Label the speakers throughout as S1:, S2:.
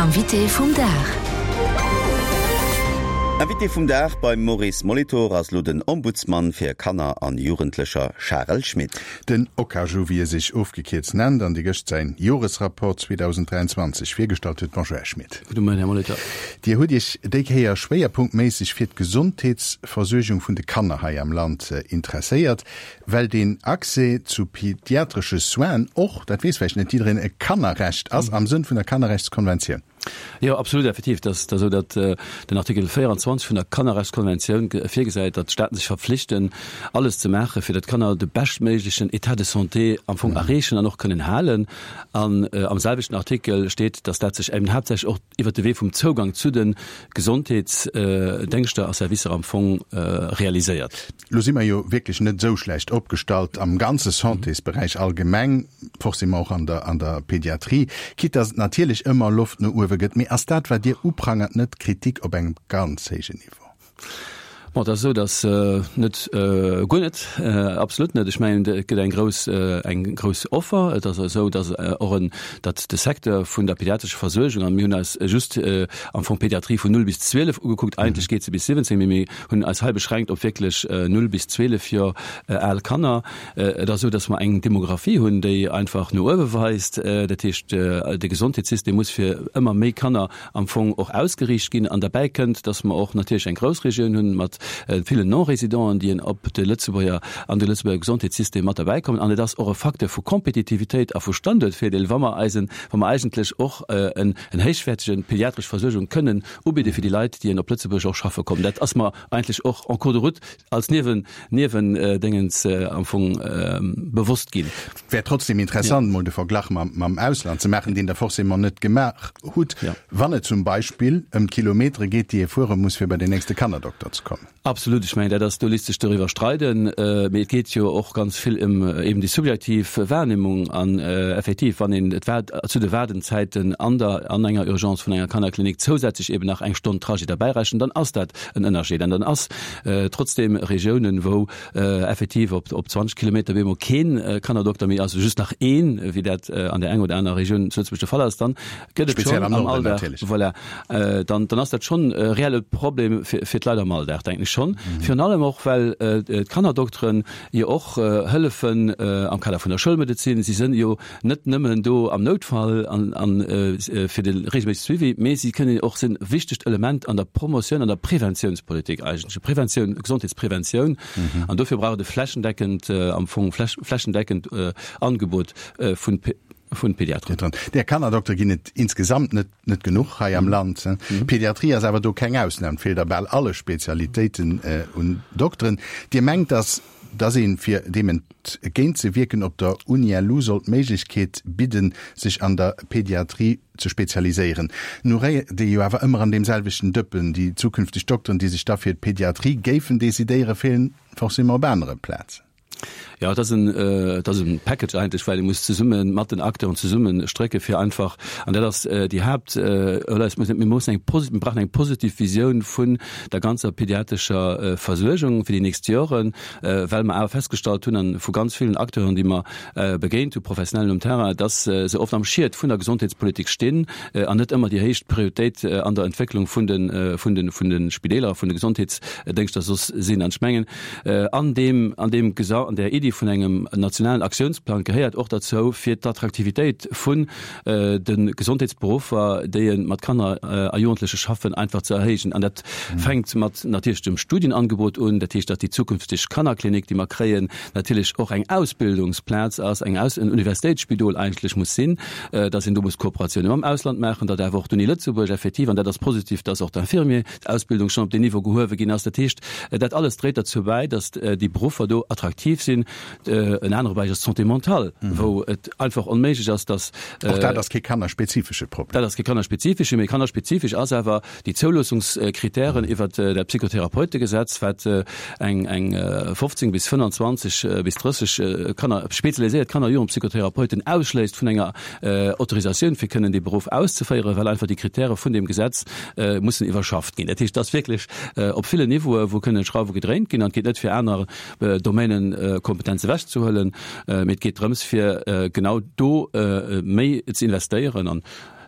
S1: Invité vum Dag.
S2: Invité vum Dag beim Maurice Molitor ass lo den Ombudsman fir Kanner an Jugendlecher Charel Schmit.
S3: Den Okaju, wéi e sech ofgekierzt nennt, an dee gëscht säin Joresrapport 2023 virgestallt huet. Bonjour, Här Schmit.
S4: Gudde Moien, Här Molitor.
S3: Dir hutt Iech déi Kéier schwéierpunktméisseg fir d'Gesondheetsversuergung vun de Kanner hei am Land interesséiert. Well deen Accès zu pediatresche Soinen och, dat weess vläicht net jiddereen, e Kannerrecht ass am Sënn vun der Kannerrechtskonventioun.
S4: Jo, absolut, effektiv. Et ass esou, datt den Artikel 24 vun der Kannerrechtskonventioun virgesäit, datt d'Staaten sech verpflichten, alles ze maachen, fir datt d'Kanner de beschtméiglechen État de santé am Fong erreechen an och kënnen halen. An am selwechten Artikel steet, datt dat sech eben haaptsächlech och iwwert de Wee vum Zougang zu de Gesondheetsdéngschter a Servicer am Fong realiséiert.
S3: Lo si mer jo wierklech net esou schlecht opgestallt am ganze Santésberäich allgemeng, forcément och an der, an der Pédiatrie, quitte dass et natierlech ëmmer Loft no uewe gëtt. Mee ass dat, wat Dir uprangert, net Kritik op engem ganz héijen Niveau?
S4: Bon, et ass esou, dass net, guer net, absolut net. Ech mengen, et gëtt eng grouss, eng grouss Offer. Et ass esou, dass och en, datt de Secteur vun der pädiatrescher Versuergung, a mir hunn eis just am Fong d'Pédiatrie vun 0 bis 12 ugekuckt, eigentlech geet se bis 17, mee mir hunn eis hei beschränkt op wierklech 0 bis 12 Joer al Kanner. Et ass esou, datt mer eng Demographie hunn, déi einfach no uewe weist. Dat heescht, de Gesondheetssystem muss fir ëmmer méi Kanner am Fong och ausgeriicht ginn. An derbäi kënnt, datt mer och natierlech eng Groussregioun hunn mat villen Non-Résidenten, déi op de Lëtzebuerger, an de Lëtzebuerger Gesondheetssystem mat derbäi kommen. An et ass och e Facteur vu Kompetitivitéit a vu Standuertvirdeel, wa mer eisen, wa mer eigentlech och en héichwäertege pediatresch Versuergung kënnen ubidde fir déi Leit, déi op Lëtzebuerg och schaffe kommen. Dat ass mer eigentlech och en cours de route als Niewen, Niewendéngens am Fong bewosst ginn.
S3: Wär trotzdem interessant, mol de Verglach mam, mam Ausland ze maachen, deen Der forcément net gemaach hutt, wann et zum Beispill ëm d'Kilometere geet, déi ee fuere muss, fir bei den nächste Kannerdokter ze kommen.
S4: Absolut, ech mengen, dat ass, do léisst sech doriwwer streiden, mee et geet jo och ganz vill ëm eben déi subjektiv Wahrnehmung an effektiv, wann een et war zu de Waardenzäiten an der, an enger Urgence vun enger Kannerklinik zousätzlech eben nach eng Stonn Trajet derbäi rechent, dann ass dat en Ënnerscheed an dann ass trotzdem Regiounen, wou effektiv op op 20 Kilometer bemol keen Kannerdokter méi ass, just nach een, wéi dat an där enger oder anerer Regioun zu Lëtzebuerg de Fall ass, dann gëtt et
S3: Speziell
S4: schonn
S3: am
S4: am
S3: Norden
S4: Alldag,
S3: natierlech.
S4: voilà, dann, dann ass dat schonn e reelle Problem fir, fir d'Leit am Alldag, denken ech schonn. Virun allem och, well d'Kannerdokteren jo och hëllefen am Kader vun der Schoulmedezin. Si sënn jo net nëmmen do am Noutfall an, an fir de regelméissege Suivi, mee si kënnen och, sinn e wichtegt Element an der Promotioun, an der Preventiounspolitik eigentlech, Preventioun, Gesondheetspreventioun. An dofir brauch et e flächendeckend, am Fong flächendeckend Angebot vun Vun Pediateren.
S3: Där Kannerdoktere ginn et insgesamt net net genuch hei am Land. D'Pediatrie ass awer do keng Ausnam. Et feelt a bal alle Spezialitéiten un Dokteren. Dir mengt, dass dass een, fir deem entgéint ze wierken, op der UniLu sollt d'Méiglechkeet bidden, sech an der Pediatrie ze spezialiséieren. Nu réiert ee jo awer ëmmer an deem selwechten Dëppen. Déi zukünfteg Dokteren, déi sech da fir d'Pediatrie géifen decidéieren, feelen forcément op anere Plazen.
S4: Jo, et ass en, et ass e Package eigentlech, well ee muss zesumme mat den Acteuren zesumme strécke fir einfach, an dat ass déi Haupt, oder es muss, mir mussen eng posi-, mir brauchen eng positiv Visioun vun der ganzer pediatrescher Versuergung fir déi nächst Joren, well mer awer festgestallt hunn, an vu ganz villen Acteuren, déi mer begéint hu, Professionellen um Terrain, dass se oft am Schiet vun der Gesondheetspolitik stinn an net ëmmer déi héicht Prioritéit an der Entwécklung vun de, vun de, vun de Spideeler a vun de Gesondheetsdéngschter soss sinn. An ech mengen, An deem, an deem Gesa-, an där Iddi vun engem nationalen Aktiounsplang gehéiert och derzou, fir d'Attraktivitéit vun de Gesondheetsberuffer, déi mat Kanner a Jugendleche schaffen, einfach ze erhéijen. An dat fänkt mat natierlech dem Studienangebot un, dat heescht, datt déi zukünfteg Kannerklinik, déi mer kréien, natierlech och eng Ausbildungsplaz ass, eng Aus-, en Universitéitsspidol eigentlech muss sinn, datt een do muss Kooperatioune mam Ausland maachen, datt awer och d'Uni Lëtzebuerg effektiv, an dat ass positiv, datt och d'Infirmier, d'Ausbildung schonn op deen Niveau gehuewe ginn ass. Dat heescht, dat alles dréit derzou bäi, datt déi Beruffer do attraktiv sinn. En anere Beräich ass d'Santé mentale, wou et einfach onméiglech ass, datt.
S3: Och dat ass kee kannerspezifesche Problem.
S4: Dat ass kee kannerspezifesche, mee kannerspezifesch ass awer déi Zouloosungskritären iwwert dat Psychotherapeutegesetz, wat eng eng 15 bis 25 bis 30 Kanner, spezialiséiert Kanner a Jugendpsychotherapeuten ausschléisst vun enger Autorisatioun, fir kënnen dee Beruff auszeféieren, well einfach déi Kritäre vun deem Gesetz mussen iwwerschafft ginn. Dat heescht, et ass wierklech op villen Niveaue wou kënnen Schrauwe gedréint ginn an et geet net fir aner Domainen. Kompetenz ewechzehuelen, mee et geet drëms, fir genau do méi ze investéieren. An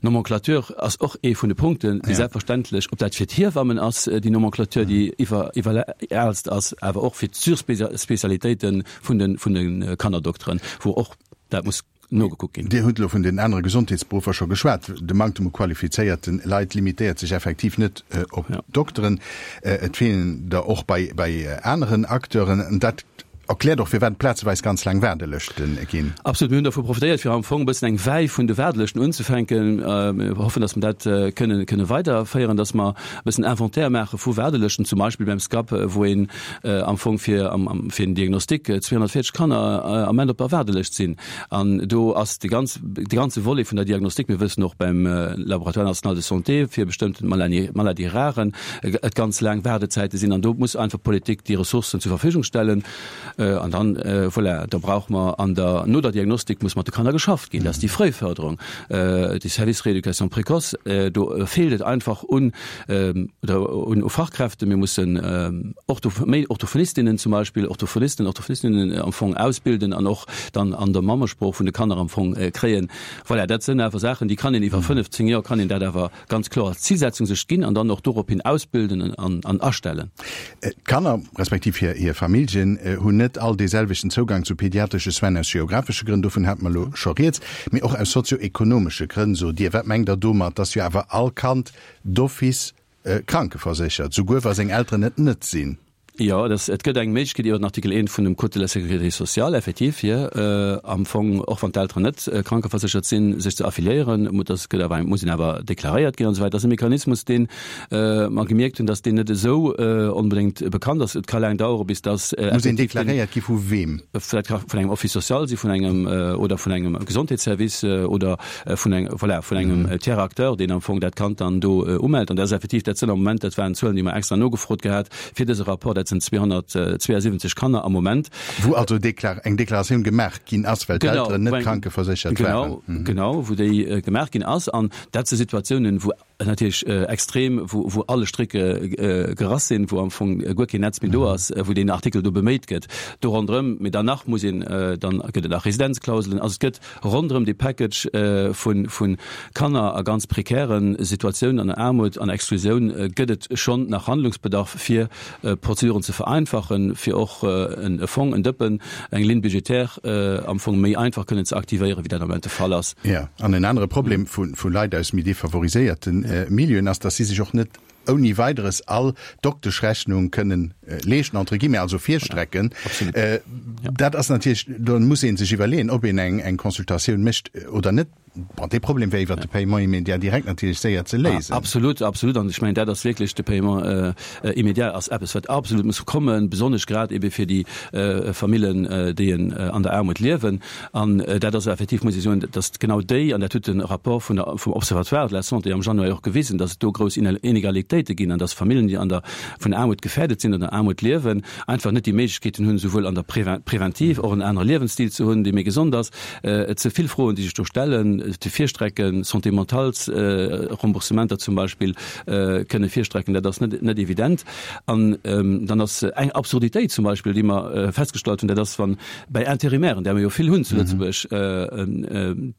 S4: Nomenclature ass och ee vun de Punkten, déi selbstverständlech, ob dat fir d'Hiewammen ass, déi Nomenclature, déi iwwer iwweraalst ass, awer och fir d'Surspécialitéite vun de vun de Kannerdokteren, wou och dat muss nogekuckt ginn.
S3: Dir hutt elo vun den anere Gesondheetsberuffer scho geschwat. De Manktem u qualifizéierte Leit limitéiert sech effektiv net op d'Dokteren. Et feelen der och bei bei aneren Acteuren. An dat erkläert och, firwat et plazeweis ganz laang Waardelëschte ginn.
S4: Absolut. Mir hunn dervu profitéiert, fir am Fong e bëssen eng Wei vun de Waardelëschten unzefänken. Mir hoffen, datt mer dat kënnen kënne weiderféieren, datt mer e bëssen Inventaire maache vu Waardelëschten, zum Beispill beim SCAP, wou een am Fong fir fir en Diagnostic 240 Kanner am Ament op der Waardelëscht sinn. An do ass de ganz de ganze Volet vun der Diagnostik, mir wëssen och beim Laboratoire national de santé fir bestëmmten Maladies rares et ganz laang Waardezäite sinn. An do muss einfach d'Politik déi Ressourcen zur Verfügung stellen. An dann, voilà, da brauche mer an der, no der Diagnostik muss mat de Kanner geschafft ginn. Dat ass déi Frëiförderung, de Service rééducation précoce. Do feelt et einfach un, oder un Fachkräften. Mir mussen Ortho, méi Orthophonistinnen zum Beispill, Orthophonisten, Orthophonistinnen am Fong ausbilden an och dann an der Mammesprooch vun de Kanner am Fong kréien. Voilà, dat sënn awer Saachen, déi kann een iwwer 15 Joer kann een dat awer ganz kloer als Zilsetzung sech ginn an dann och dorop hin ausbilden an an astellen.
S3: D'Kanner, respektiv hir hir Familljen, hunn net all dee selwechten Zougang zu pediatresche Soinen aus geographesche Grënn, dovun hate mer elo scho rieds, mee och aus sozio-ekonomesche Grënn, sot Dir. Wat mengt Der domat? Dass jo awer all Kand d'office krankeverséchert, souguer wa seng Elteren et net sinn.
S4: Jo, et ass, et gëtt eng Méiglechkeet iwwer den Artikel 1 vun dem Code de la sécurité sociale effektiv, fir am Fong, och wann d'Elteren net krankeverséchert sinn, sech ze affiliéieren. Muss, dat gëtt awer eng, muss een awer deklaréiert ginn an esou weider. Dat ass e Mechanismus, dee mer gemierkt hunn, dass deen net esou onbedéngt bekannt ass. Et ka laang dauere bis dass
S3: Muss een deklaréiert gi vu weem?
S4: Dat ka vun engem Office social si vun engem oder vun engem Gesondheetsservice oder vun eng, voilà, vun engem Tiers acteur, deen am Fong dat Kand dann do umellt. An dat ass effektiv, dat sënn am Moment, dat waren Zuelen, déi mer extra nogefrot gehat fir dëse Rapport, dat sënn 272 Kanner am Moment.
S3: Wou also eng Deklaratioun gemaach ginn ass, well d'Elteren net krankeverséchert
S4: waren. Genau, genau, wou déi gemaach ginn ass. An dat si Situatiounen, wou natierlech extrem, wou, wou alle Strécke gerass sinn, wou am Fong guer keen Netz méi do ass, wou deen Artikel do beméit gëtt do ronderëm. Mee danach muss een, dann gëtt et nach Residenzklauselen. Also et gëtt ronderëm dee Package vu, vu Kanner a ganz prekäre Situatiounen, an der Aarmut an Exklusioun, gëtt et schonn nach Handlungsbedarf, fir Prozeduren ze vereinfachen, fir och e Fong, en Dëppen, eng Ligne budgétaire am Fong méi einfach kënnen ze aktivéieren, wéi dat am Moment de Fall ass.
S3: Jo, an en anere Problem vu Leit aus méi defavoriséierte Milieuen ass, dass si sech och net ouni Weideres all Dokteschrechnung kënnen leeschten, entre guillemets, also virstrecken. Dat ass natierlech, do muss ee sech iwwerleeën, ob een eng Consultatioun mécht oder net. Bon, dee Problem wär iwwert de Paiement immédiat direkt natierlech séier ze léisen.
S4: Absolut, absolut. An ech mengen, dat ass wierklech, de Paiement immédiat ass eppes, wat absolut muss kommen, besonnesch grad ebe fir déi Famillen, déi an der Aarmut liewen. An dat ass effektiv, muss ech soen, datt genau déi, an dat huet de Rapport vun der, vum Observatoire de la santé am Januar jo och gewisen, datt et do grouss Inegalitéite ginn an datt Famillen, déi an der, vun Aarmut gefährdet sinn oder an Aarmut liewen, einfach net déi Méiglechkeeten hunn, souwuel an der Preventiv och en anere Liewensstil ze hunn, dee méi gesond ass, Et si vill Froen, déi sech do stellen, de Virstrecken, Santé mentales Remboursementer zum Beispill kënne virstrecken, dat ass net net evident. An dann ass eng Absurditéit zum Beispill, déi mer festgestallt hunn, dat ass, wann bei Intérimairen, där mer jo vill hunn zu Lëtzebuerg,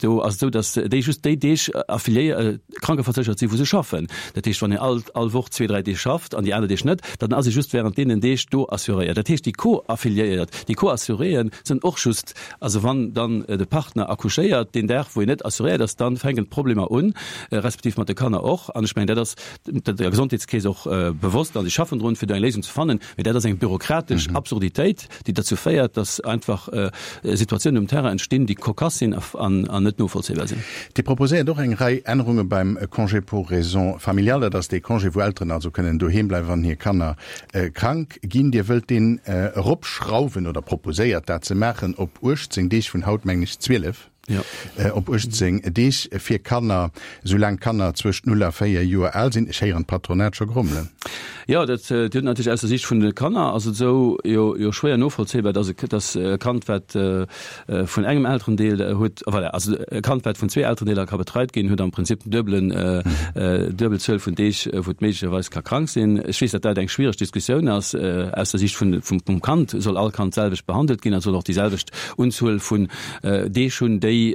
S4: do ass et esou, datt déi just déi Deeg affiliéiert, krankeverséchert sinn, wou se schaffen. Dat heescht, wann een all all Woch zwee, dräi Deeg schafft an déi aner Deeg net, dann ass ee just während deenen Deeg do assuréiert. Dat heescht, déi Co-affiliéiert, déi Co-assuréeën sinn och just Also wann dann de Partner accouchéiert deen Dag, wou een net assuréiert ass, dann fänken d'Problemer un, respektiv mat de Kanner och. An ech mengen, dat ass der Gesondheetskeess och bewosst a si schaffen drun, fir do eng Léisung ze fannen. Mee dat ass eng bürokratesch Absurditéit, déi derzou féiert, dass einfach Situatiounen um Terrain entstinn, déi cocasse sinn an net novollzéibar sinn.
S3: Dir proposéiert och eng Rei Ännerunge beim Congé pour raisons familiales. Dat ass dee Congé, wou Elteren also kënnen doheem bleiwen, wann hir Kanner krank ginn. Dir wëllt deen eropschrauwen oder proposéiert dat ze maachen op 18 Deeg, vun haut mengen ech 12. Op 18 Deeg fir Kanner, soulaang d'Kanner zwëscht 0 a 4 Joer al sinn. Ech héieren d'Patronat scho grommelen.
S4: Jo, dat huet natierlech aus der Sicht vun de Kanner ass et esou jo jo schwéier novollzéibar, dass e dass e Kand, wat vun engem Elterendeel huet, voilà, also e Kand, wat vun zwee Elterendeeler ka betreit ginn, huet am Prinzip den duebelen, duebel Zuel vun Deeg, wou et méiglecherweis ka krank sinn. Ech weess, datt dat eng schwiereg Diskussioun ass. Aus der Sicht vun vum Kand soll all Kand d'selwecht behandelt ginn a soll och déi selwecht Unzuel vun Deeg hunn, déi,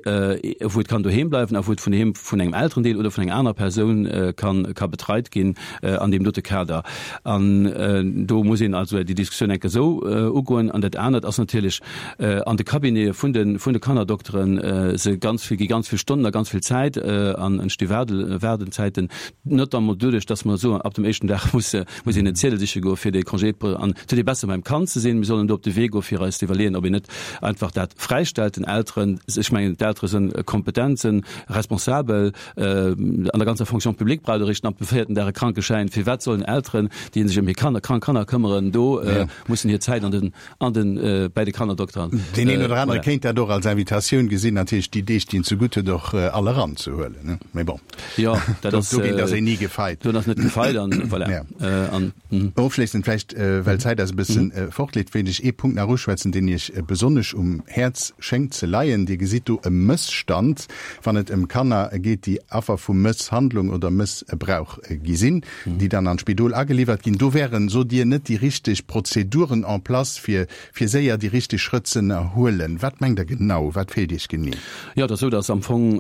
S4: wou et kann doheem bleiwen a wou et vun doheem vun engem Elterendeel oder vun enger anerer Persoun kann, ka betreit ginn an deem dote Kader. An do muss een also déi Diskussioun enke esou ugoen. An dat anert ass natierlech, an de Cabinete vun de, vun de Kannerdokteren se ganz vill, gi ganz vill Stonnen a ganz vill Zäit an entsti Waarde, Waardenzäiten, notamment doduerch, dass mer soen, ab dem éischten Dag muss, muss een en Ziedel siche goe fir dee Congé an et huet ee besser beim Kand ze sinn. Mir sollen do op de Wee goe fir eis ze iwwerleeën, ob een net einfach dat fräistellt den Elteren. Ech mengen d'Eltere sënn kompetent, sënn responsabel. An der ganzer Fonction publique braucht eréischt ab dem véierten Dag e Krankeschäin. Firwat sollen Elteren, déi sech ëm hir Kanner, krank Kanner këmmeren, do mussen hir Zäit an den an den bei de Kannerdokter.
S3: Deen een oder anere kéint dat och als Invitatioun gesinn, natierlech déi Deeg, déi en zegutt huet, och all eranzehuelen. Mee bon,
S4: jo, dat ass,
S3: dogéint ass een ni gefeit.
S4: Do ass net gefeit an voilà.
S3: Ja. An, mhm. Ofschléissend vläicht, well d'Zäit eis e bëssen fortleeft, wéilt ech ee Punkt nach uschwätzen, deen Iech besonnesch um Häerz schéngt ze leien. Dir gesitt do e Mësstand, wann et ëm Kanner geet, déi Affer vu Mësshandlung oder Mëssbrauch gi sinn. déi dann an d'Spidol ageliwwert ginn, do wären, sot Dir, net déi richteg Prozeduren en place, fir fir séier déi richteg Schrëtt z'ënnerhuelen. Wat mengt Der genau? Wat feelt Iech genee?
S4: Jo, et ass esou, datt am Fong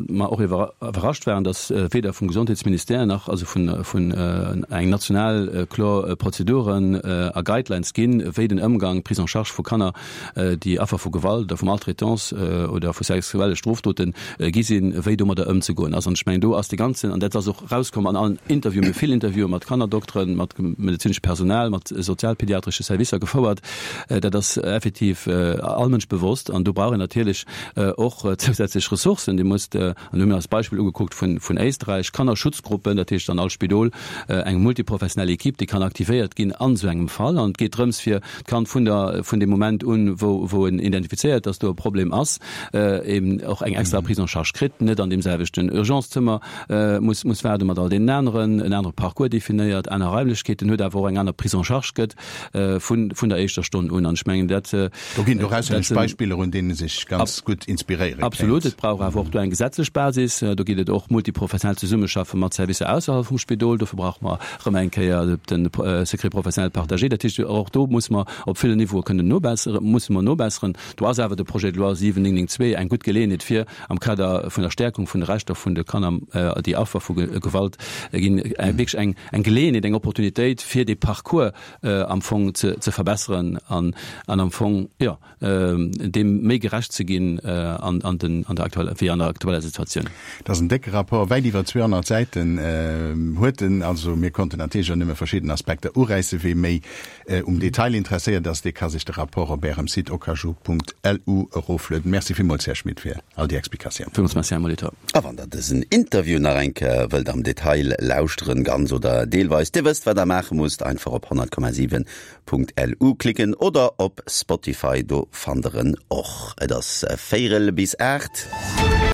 S4: mer och iwwerrascht waren, datt weder vum Gesondheetsministère nach also vun vun eng national kloer Prozeduren a Guidelines ginn, wéi den Ëmgang, d'Prise en charge vu Kanner, déi Affer vu Gewalt oder vu Maltraitance oder vu sexuelle Strofdote gi sinn, wéi domadder ëmzegoen ass. An ech mengen, do ass de ganzen, an dat ass och erauskomm an allen Interviewen, mir hu vill Interviewe mat Kannerdokteren, mat medezineschem Personal, mat sozialpediatresche Servicer gefouert, dat ass effektiv all Mënsch bewosst. An do brauch een natierlech och zousätzlech Ressourcen. Dir musst, an do hu mir eis d'Beispill ugekuckt vun Éisträich, Kannerschutzgruppen, dat heescht an all Spidol eng multiprofessionell Equipe, déi kann aktivéiert ginn an esou engem Fall. An et geet drëms, fir d'Kand vun der, vun deem Moment un, wou, wou en identifizéiert, dass do e Problem ass, eben och eng extra Prise en charge kritt, net an deem selwechten Urgencezëmmer muss, muss waarde mat all deenen aneren, en anere Parcours definéiert, aner Raimlechkeeten huet, awer och eng aner Prise en charge gëtt vun, vun der éischter Stonn un. An ech mengen, dat,
S3: Do ginn et och auslännesch Beispiller, un deene sech ganz gutt inspiréiere kéint.
S4: Absolut. Et brauch awer och do eng gesetzlech Basis. Do geet et och multiprofessionell Zesummeschaffe mat Servicer ausserhalb vum Spidol. Dofir brauche mer erëm eng Kéier de Secret professionnel partagé. Dat heescht, och do muss mer op villen Niveaue kënnen nobesseren, musse mer nobesseren. Do ass awer de Projet de loi 7992 eng gutt Geleeënheet fir am Kader vun der Stärkung vun de Rechter vun de Kanner, déi Affer vu Gewalt ginn, wierklech eng eng Geleeënheet, eng Opportunitéit, fir dee Parcours am Fong ze ze verbesseren an an am Fong, jo, deem méi gerecht ze ginn an an den an der aktueller wéi an der aktueller Situatioun.
S3: Dat ass en décke Rapport, wäit iwwer 200 Säiten huet en. Also mir konnten natierlech och nëmme verschidden Aspekter uräissen. Wee méi um Detail interesséiert ass, dee ka sech de Rapport op Ärem Site okaju.lu eroflueden. Merci villmools, Här Schmit, fir all déi Explikatiounen.
S4: Villmools Merci, Här Molitor.
S2: A wann Der dësen Interview nach eng Kéier wëllt am Detail lauschteren, ganz oder deelweis, Dir wësst, wat Der maache musst, einfach op 100,7 .lu klicken oder op Spotify, do fannt der en och. Et ass véierel bis 8.